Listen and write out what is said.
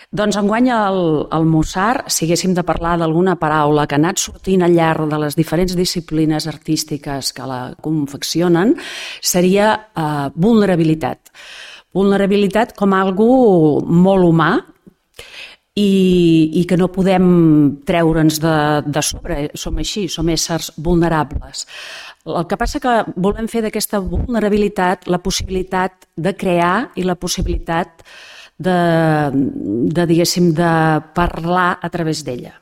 Doncs enguany al Mussar, si haguéssim de parlar d'alguna paraula que ha anat sortint al llarg de les diferents disciplines artístiques que la confeccionen, seria vulnerabilitat. Vulnerabilitat com algo molt humà i que no podem treure'ns de sobre. Som així, som éssers vulnerables. El que passa que volem fer d'aquesta vulnerabilitat la possibilitat de crear i la possibilitat de, diguéssim, de parlar a través d'ella.